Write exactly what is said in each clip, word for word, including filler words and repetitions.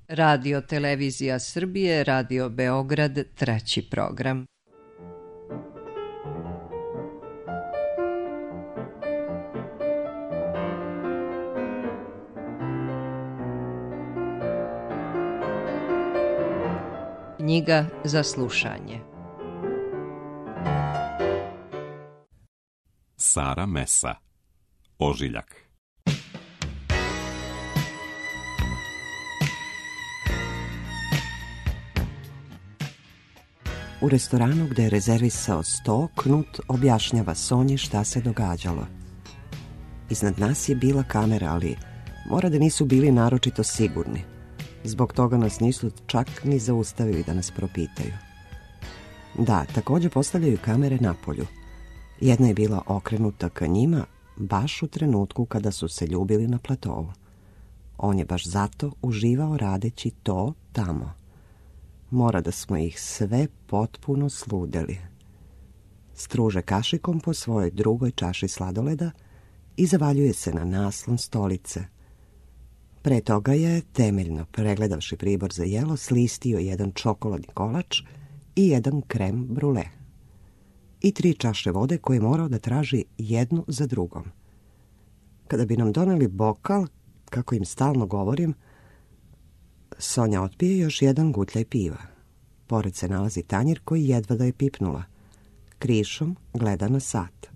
Radio Televizija Srbije, Radio Beograd, treći program. Knjiga za slušanje. Sara Mesa, Ožiljak. U restoranu gde je rezervisao sto, Knut objašnjava Sonji šta se događalo. Iznad nas je bila kamera, ali mora da nisu bili naročito sigurni. Zbog toga nas nisu čak ni zaustavili da nas propitaju. Da, također postavljaju kamere napolju. Jedna je bila okrenuta ka njima baš u trenutku kada su se ljubili na platovu. On je baš zato uživao radeći to tamo. Mora da smo ih sve potpuno sludeli. Struže kašikom po svojoj drugoj čaši sladoleda i zavaljuje se na naslon stolice. Pre toga je, temeljno pregledavši pribor za jelo, slistio jedan čokoladni kolač i jedan krem brule. I tri čaše vode koje je morao da traži jednu za drugom. Kada bi nam doneli bokal, kako im stalno govorim, Sonja otpije još jedan gutljaj piva. Pored se nalazi tanjir koji jedva da je pipnula. Krišom gleda na sat.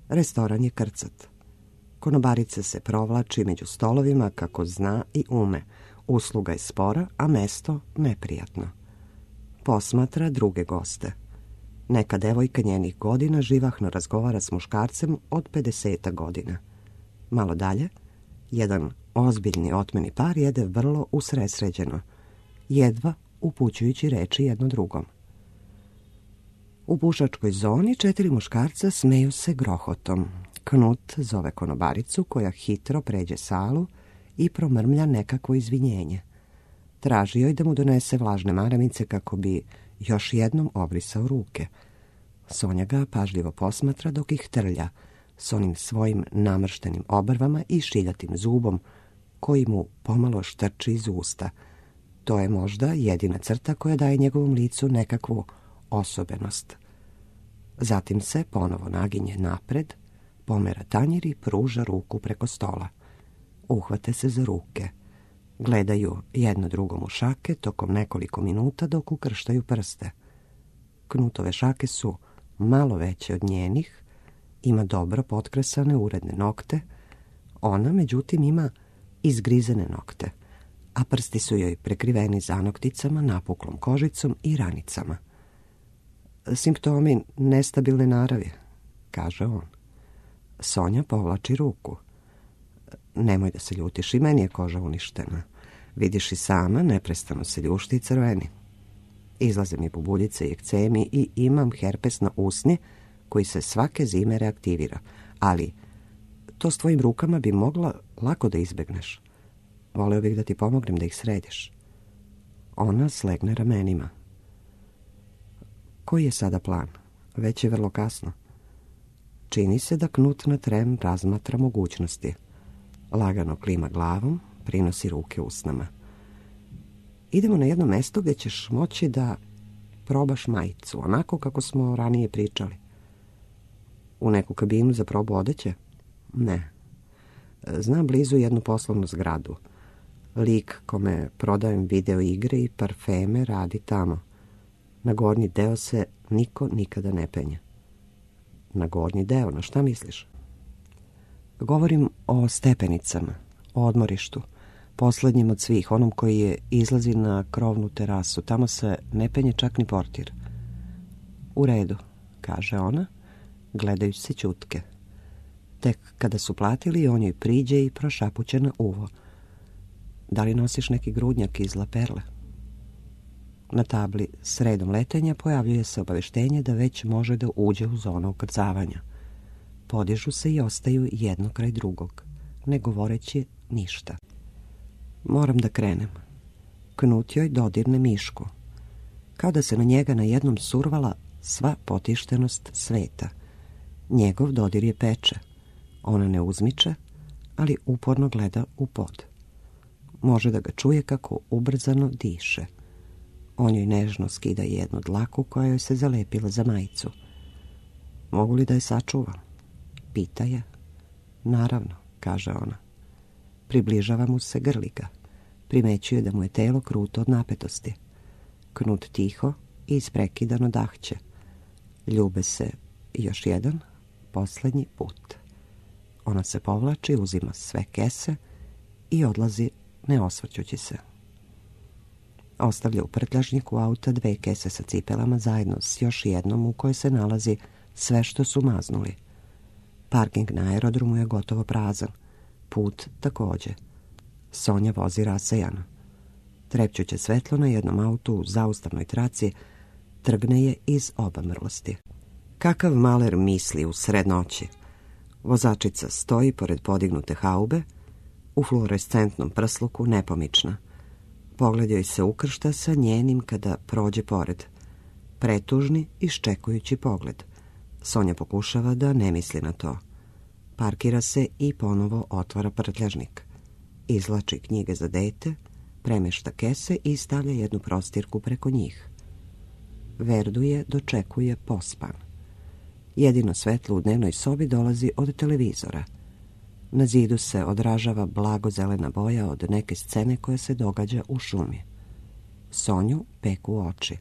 Restoran je krcat. Konobarica se provlači među stolovima kako zna i ume. Usluga je spora, a mesto neprijatno. Posmatra druge goste. Neka devojka njenih godina živahno razgovara s muškarcem od pedeseta godina. Malo dalje, jedan ozbiljni otmeni par jede vrlo usresređeno, jedva upućujući reči jedno drugom. U pušačkoj zoni četiri muškarca smeju se grohotom. Knut zove konobaricu koja hitro pređe salu i promrmlja nekakvo izvinjenje. Traži joj da mu donese vlažne maramice kako bi još jednom obrisao ruke. Sonja ga pažljivo posmatra dok ih trlja s onim svojim namrštenim obrvama i šiljatim zubom koji mu pomalo štrči iz usta. To je možda jedina crta koja daje njegovom licu nekakvu osobenost. Zatim se ponovo naginje napred, pomera tanjir i pruža ruku preko stola. Uhvate se za ruke. Gledaju jedno drugom u šake tokom nekoliko minuta dok ukrštaju prste. Knutove šake su malo veće od njenih, ima dobro potkresane uredne nokte, ona međutim ima izgrizene nokte, a prsti su joj prekriveni zanokticama, napuklom kožicom i ranicama. Simptomi nestabilne naravi, kaže on. Sonja povlači ruku. Nemoj da se ljutiš, i meni je koža uništena. Vidiš i sama, neprestano se ljušti i crveni. Izlaze mi bubuljice i ekcemi i imam herpes na usni koji se svake zime reaktivira. Ali to s tvojim rukama bi mogla lako da izbegneš. Voleo bih da ti pomognem da ih središ. Ona slegne ramenima. Koji je sada plan? Već je vrlo kasno. Čini se da Knut na tren razmatra mogućnosti. Lagano klima glavom, prinosi ruke usnama. Idemo na jedno mesto gdje ćeš moći da probaš majicu, onako kako smo ranije pričali. U neku kabinu za probu odeće? Ne. Znam blizu jednu poslovnu zgradu. Lik kome prodajem video igre i parfeme radi tamo. Na gornji deo se niko nikada ne penje. Na gornji deo, na šta misliš? Govorim o stepenicama, o odmorištu, poslednjim od svih, onom koji je izlazi na krovnu terasu. Tamo se ne penje čak ni portir. U redu, kaže ona, gledajući se ćutke. Tek kada su platili, on joj priđe i prošapuće na uvo. Da li nosiš neki grudnjak iz laperle? Na tabli sredom letenja pojavljuje se obaveštenje da već može da uđe u zonu ukrcavanja. Podižu se i ostaju jedno kraj drugog, ne govoreći ništa. Moram da krenem. Knut joj dodirne mišku. Kao da se na njega na jednom survala sva potištenost sveta. Njegov dodir je peče. Ona ne uzmiče, ali uporno gleda u pod. Može da ga čuje kako ubrzano diše. On joj nežno skida jednu dlaku koja joj se zalepila za majicu. Mogu li da je sačuvam? Pita je. Naravno, kaže ona. Približava mu se, grli ga. Primećuje da mu je telo kruto od napetosti. Knut tiho i isprekidano dahće. Ljube se još jedan, posljednji put. Ona se povlači, uzima sve kese i odlazi ne osvrćući se. Ostavlja u prtljažniku auta dve kese sa cipelama zajedno s još jednom u kojoj se nalazi sve što su maznuli. Parking na aerodromu je gotovo prazan. Put također. Sonja vozi rasejano. Trepćuće svetlo na jednom autu u zaustavnoj traci trgne je iz obamrlosti. Kakav maler misli u sred noći. Vozačica stoji pored podignute haube, u fluorescentnom prsluku nepomična. Pogled joj se ukršta sa njenim kada prođe pored. Pretužni, iščekujući pogled. Sonja pokušava da ne misli na to. Parkira se i ponovo otvara prtljažnik. Izvlači knjige za dete, premešta kese i stavlja jednu prostirku preko njih. Verdu je dočekuje pospan. Jedino svetlo u dnevnoj sobi dolazi od televizora. Na zidu se odražava blago zelena boja od neke scene koja se događa u šumi. Sonju peku oči.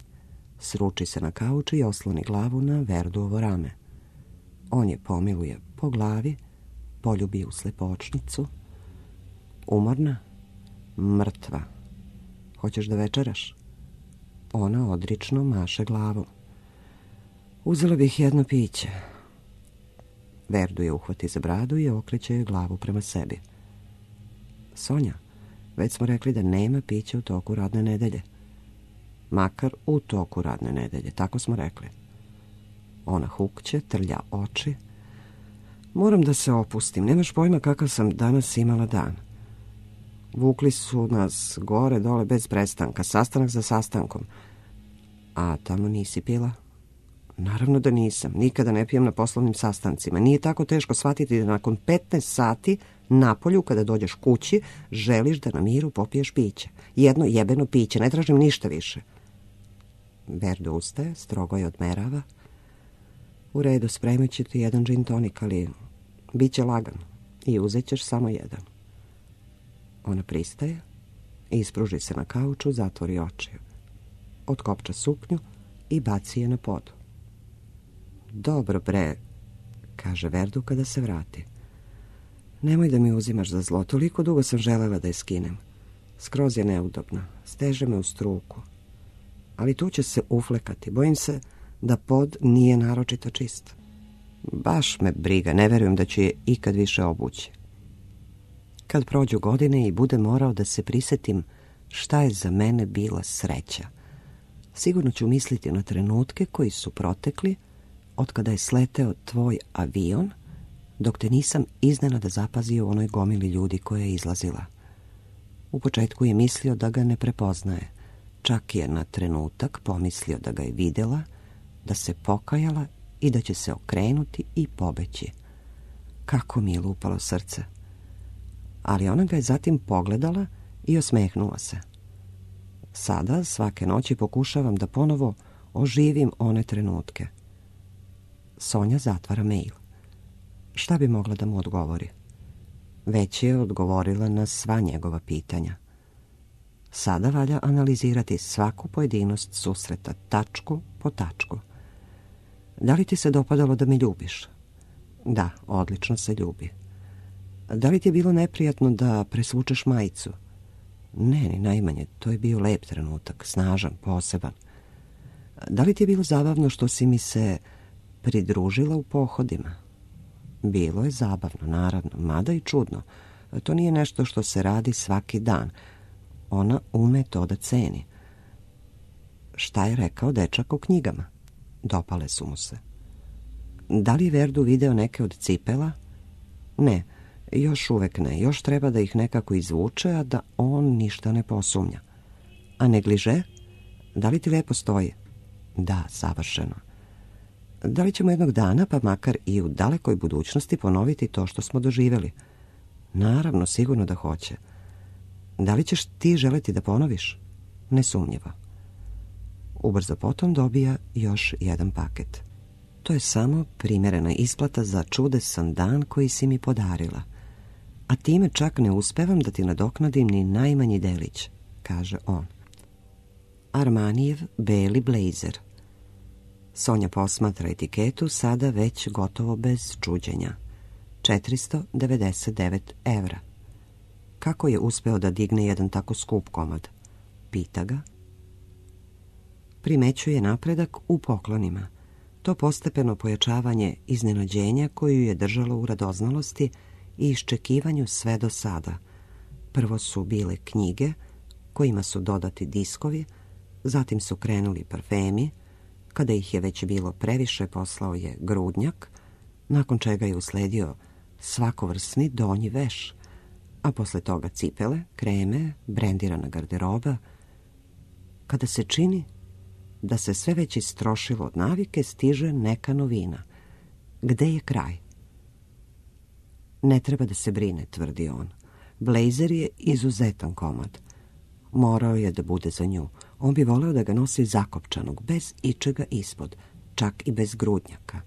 Sruči se na kauč i osloni glavu na Verduovo rame. On je pomiluje po glavi, poljubi u slepočnicu. Umorna? Mrtva. Hoćeš da večeraš? Ona odrično maše glavom. Uzela bih jedno piće. Verdu je uhvati za bradu i okreće joj glavu prema sebi. Sonja, već smo rekli da nema pića u toku radne nedelje. Makar u toku radne nedelje, tako smo rekli. Ona hukće, trlja oči. Moram da se opustim, nemaš pojma kakav sam danas imala dan. Vukli su nas gore dole bez prestanka, sastanak za sastankom. A tamo nisi pila? Naravno da nisam, nikada ne pijem na poslovnim sastancima. Nije tako teško shvatiti da nakon petnaest sati napolju, kada dođeš kući, želiš da na miru popiješ piće. Jedno jebeno piće, ne tražim ništa više. Verdu ustaje, strogo je odmerava. U redu, spremit ću ti jedan gin tonik, ali bit će lagan i uzet ćeš samo jedan. Ona pristaje, ispruži se na kauču, zatvori oči. Otkopča suknju i baci je na pod. Dobro bre, kaže Verdu kada se vrati. Nemoj da mi uzimaš za zlo, toliko dugo sam želela da je skinem. Skroz je neudobna, steže me u struku. Ali tu će se uflekati, bojim se da pod nije naročito čist. Baš me briga, ne verujem da ću je ikad više obući. Kad prođu godine i bude morao da se prisetim šta je za mene bila sreća, sigurno ću misliti na trenutke koji su protekli od kada je sleteo tvoj avion, dok te nisam iznenada zapazio u onoj gomili ljudi koja je izlazila. U početku je mislio da ga ne prepoznaje. Čak je na trenutak pomislio da ga je vidjela, da se pokajala i da će se okrenuti i pobeći. Kako mi je lupalo srce. Ali ona ga je zatim pogledala i osmehnula se. Sada svake noći pokušavam da ponovo oživim one trenutke. Sonja zatvara mail. Šta bi mogla da mu odgovori? Već je odgovorila na sva njegova pitanja. Sada valja analizirati svaku pojedinost susreta, tačku po tačku. Da li ti se dopadalo da me ljubiš? Da, odlično se ljubi. Da li ti je bilo neprijatno da presvučeš majicu? Ne, ni najmanje, to je bio lep trenutak, snažan, poseban. Da li ti je bilo zabavno što si mi se pridružila u pohodima? Bilo je zabavno, naravno, mada i čudno. To nije nešto što se radi svaki dan. Ona ume to da ceni. Šta je rekao dečak o knjigama? Dopale su mu se. Da li je Verdu video neke od cipela? Ne, još uvek ne. Još treba da ih nekako izvuče, a da on ništa ne posumnja. A negliže? Da li ti lepo stoji? Da, savršeno. Da li ćemo jednog dana, pa makar i u dalekoj budućnosti, ponoviti to što smo doživjeli? Naravno, sigurno da hoće. Da li ćeš ti želeti da ponoviš? Nesumnjivo. Ubrzo potom dobija još jedan paket. To je samo primjerena isplata za čudesan dan koji si mi podarila. A time čak ne uspevam da ti nadoknadim ni najmanji delić, kaže on. Armanijev beli blejzer. Sonja posmatra etiketu, sada već gotovo bez čuđenja. četiristo devedeset devet evra. Kako je uspeo da digne jedan tako skup komad? Pita ga. Primećuje napredak u poklonima. To postepeno pojačavanje iznenađenja koju je držalo u radoznalosti i iščekivanju sve do sada. Prvo su bile knjige, kojima su dodati diskovi, zatim su krenuli parfemi, kada ih je već bilo previše poslao je grudnjak, nakon čega je usledio svakovrsni donji veš, a posle toga cipele, kreme, brendirana garderoba. Kada se čini da se sve već istrošilo od navike, stiže neka novina. Gde je kraj? Ne treba da se brine, tvrdi on. Blejzer je izuzetan komad. Morao je da bude za nju. On bi voleo da ga nosi zakopčanog, bez ičega ispod, čak i bez grudnjaka,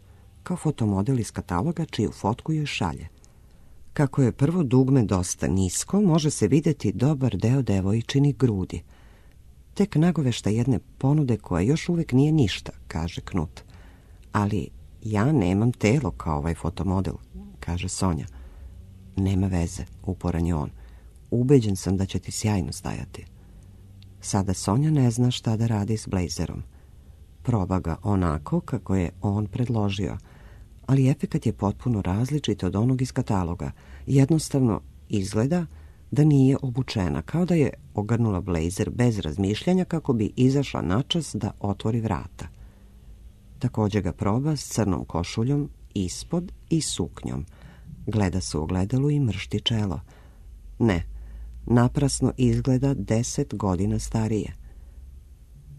kao fotomodel iz kataloga čiju fotku joj šalje. Kako je prvo dugme dosta nisko, može se vidjeti dobar deo devojčinih grudi. Tek nagovešta jedne ponude koja još uvek nije ništa, kaže Knut. Ali ja nemam telo kao ovaj fotomodel, kaže Sonja. Nema veze, uporan je on. Ubeđen sam da će ti sjajno stajati. Sada Sonja ne zna šta da radi s blejzerom. Proba ga onako kako je on predložio, ali efekat je potpuno različit od onog iz kataloga. Jednostavno izgleda da nije obučena, kao da je ogrnula blejzer bez razmišljanja kako bi izašla načas da otvori vrata. Također ga proba s crnom košuljom ispod i suknjom. Gleda se u ogledalu i mršti čelo. Ne, naprasno izgleda deset godina starije.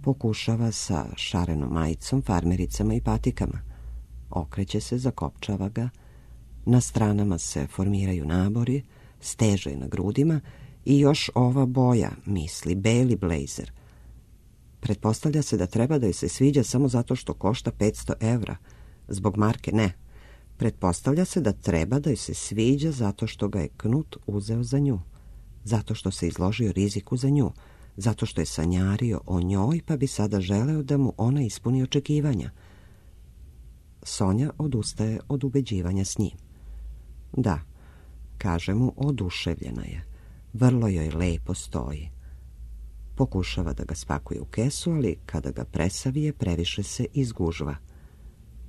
Pokušava sa šarenom majicom, farmericama i patikama. Okreće se, zakopčava ga. Na stranama se formiraju nabori, steže na grudima i još ova boja, misli, beli blejzer. Pretpostavlja se da treba da joj se sviđa samo zato što košta petsto evra. Zbog marke ne. Pretpostavlja se da treba da joj se sviđa zato što ga je Knut uzeo za nju. Zato što se izložio riziku za nju. Zato što je sanjario o njoj pa bi sada želeo da mu ona ispuni očekivanja. Sonja odustaje od ubeđivanja s njim. Da, kaže mu, oduševljena je. Vrlo joj lepo stoji. Pokušava da ga spakuje u kesu, ali kada ga presavije, previše se izgužva.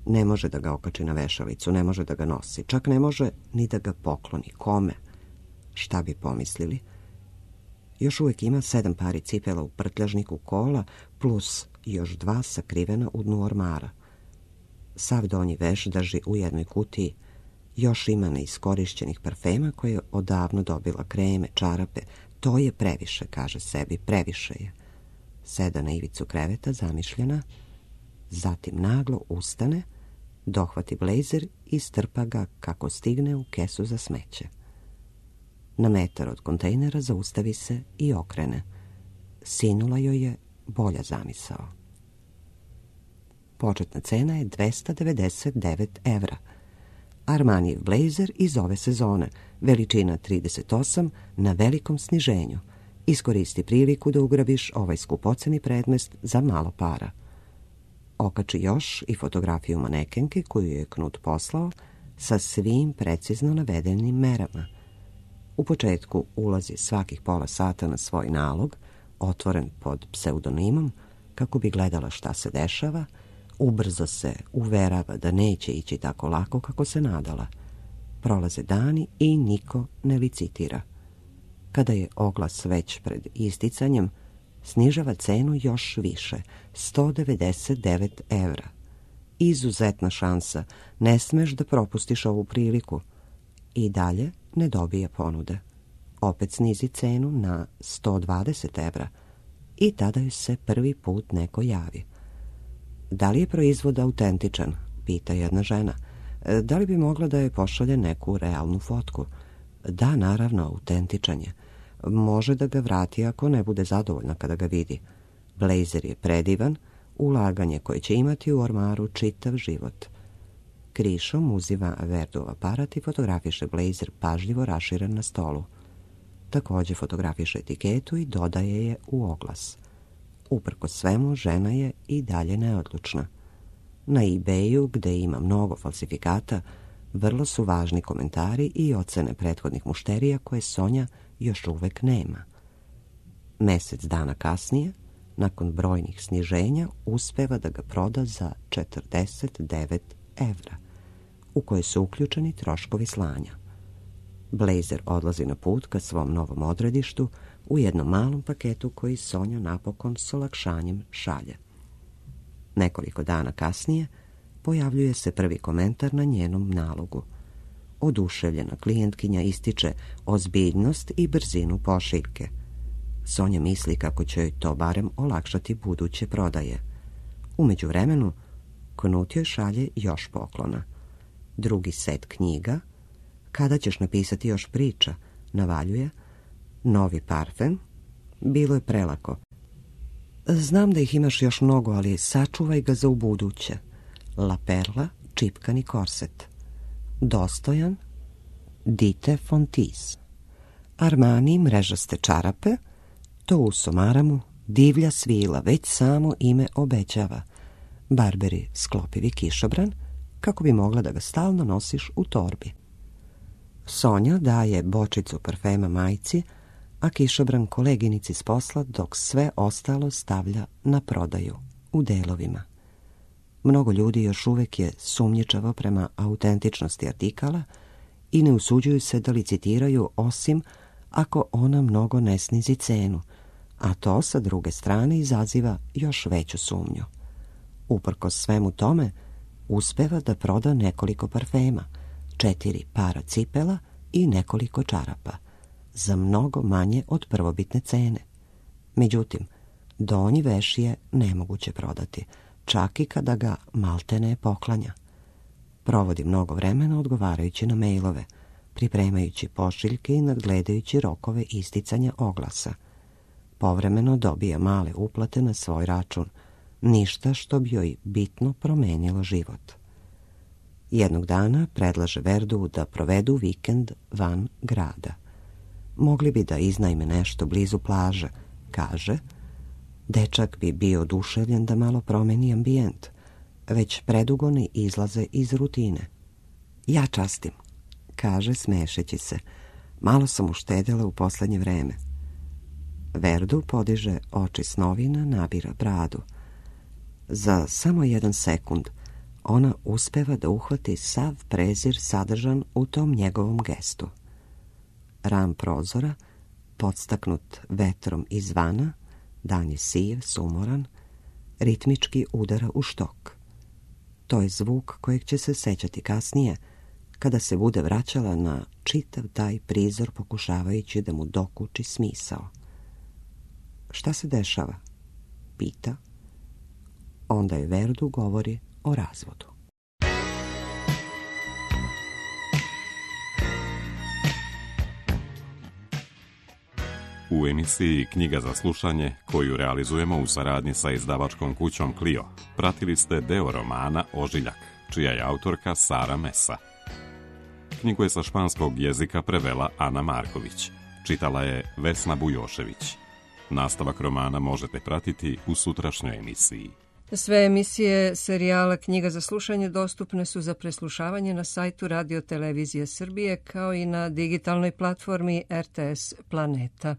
Ne može da ga okači na vešalicu, ne može da ga nosi, čak ne može ni da ga pokloni. Kome? Šta bi pomislili? Još uvijek ima sedam pari cipela u prtljažniku kola, plus još dva sakrivena u dnu ormara. Sav donji veš drži u jednoj kutiji. Još ima neiskorišćenih parfema koje je odavno dobila, kreme, čarape. To je previše, kaže sebi, previše je. Seda na ivicu kreveta, zamišljena, zatim naglo ustane, dohvati blejzer i strpa ga kako stigne u kesu za smeće. Na metar od kontejnera zaustavi se i okrene. Sinula joj je bolja zamisao. Početna cena je dvesta devedeset devet evra. Armanijev blejzer iz ove sezone, veličina trideset osam, na velikom sniženju. Iskoristi priliku da ugrabiš ovaj skupoceni predmet za malo para. Okači još i fotografiju manekenke koju je Knut poslao sa svim precizno navedenim merama. U početku ulazi svakih pola sata na svoj nalog, otvoren pod pseudonimom, kako bi gledala šta se dešava. Ubrzo se uverava da neće ići tako lako kako se nadala. Prolaze dani i niko ne licitira. Kada je oglas već pred isticanjem, snižava cenu još više, sto devedeset devet evra. Izuzetna šansa, ne smeš da propustiš ovu priliku. I dalje ne dobija ponude. Opet snizi cenu na sto dvadeset evra i tada joj se prvi put neko javi. Da li je proizvod autentičan? Pita jedna žena. Da li bi mogla da je pošalje neku realnu fotku? Da, naravno, autentičan je. Može da ga vrati ako ne bude zadovoljna kada ga vidi. Blejzer je predivan, ulaganje koje će imati u ormaru čitav život. Krišom uzima Verdov aparat i fotografiše blejzer pažljivo raširen na stolu. Također fotografiše etiketu i dodaje je u oglas. Uprkos svemu, žena je i dalje neodlučna. Na eBayu, gde ima mnogo falsifikata, vrlo su važni komentari i ocene prethodnih mušterija koje Sonja još uvek nema. Mesec dana kasnije, nakon brojnih sniženja, uspeva da ga proda za četrdeset devet evra, u koje su uključeni troškovi slanja. Blejzer odlazi na put ka svom novom odredištu u jednom malom paketu koji Sonja napokon s olakšanjem šalje. Nekoliko dana kasnije pojavljuje se prvi komentar na njenom nalogu. Oduševljena klijentkinja ističe ozbiljnost i brzinu pošiljke. Sonja misli kako će joj to barem olakšati buduće prodaje. U međuvremenu, Knut joj šalje još poklona. Drugi set knjiga, kada ćeš napisati još priča, navaljuje, novi parfem, bilo je prelako. Znam da ih imaš još mnogo, ali sačuvaj ga za ubuduće. La Perla, čipkani korset. Dostojan, Dite Fontis. Armani, mrežaste čarape, to u Somaramu, divlja svila, već samo ime obećava. Barberi, sklopivi kišobran, kako bi mogla da ga stalno nosiš u torbi. Sonja daje bočicu parfema majci, a kišobran koleginici s posla, dok sve ostalo stavlja na prodaju, u delovima. Mnogo ljudi još uvek je sumnjičavo prema autentičnosti artikala i ne usuđuju se da licitiraju osim ako ona mnogo ne snizi cenu, a to sa druge strane izaziva još veću sumnju. Uprkos svemu tome, uspeva da proda nekoliko parfema, četiri para cipela i nekoliko čarapa, za mnogo manje od prvobitne cene. Međutim, donji veš je nemoguće prodati, čak i kada ga maltene poklanja. Provodi mnogo vremena odgovarajući na mejlove, pripremajući pošiljke i nadgledajući rokove isticanja oglasa. Povremeno dobija male uplate na svoj račun, ništa što bi joj bitno promenilo život. Jednog dana predlaže Verdu da provedu vikend van grada. Mogli bi da iznajme nešto blizu plaže, kaže. Dečak bi bio oduševljen da malo promeni ambijent, već predugo ne izlaze iz rutine. Ja častim, kaže smešeći se. Malo sam uštedjela u poslednje vreme. Verdu podiže oči s novina, nabira bradu. Za samo jedan sekund ona uspeva da uhvati sav prezir sadržan u tom njegovom gestu. Ram prozora, podstaknut vetrom izvana, dan je siv, sumoran, ritmički udara u štok. To je zvuk kojeg će se sećati kasnije, kada se bude vraćala na čitav taj prizor pokušavajući da mu dokuči smisao. Šta se dešava? Pita. Onda je Verdu govori o razvodu. U emisiji Knjiga za slušanje, koju realizujemo u saradnji sa izdavačkom kućom Clio, pratili ste deo romana Ožiljak, čija je autorka Sara Mesa. Knjigu je sa španskog jezika prevela Ana Marković, čitala je Vesna Bujošević. Nastavak romana možete pratiti u sutrašnjoj emisiji. Sve emisije serijala Knjiga za slušanje dostupne su za preslušavanje na sajtu Radio Televizije Srbije kao i na digitalnoj platformi R T S Planeta.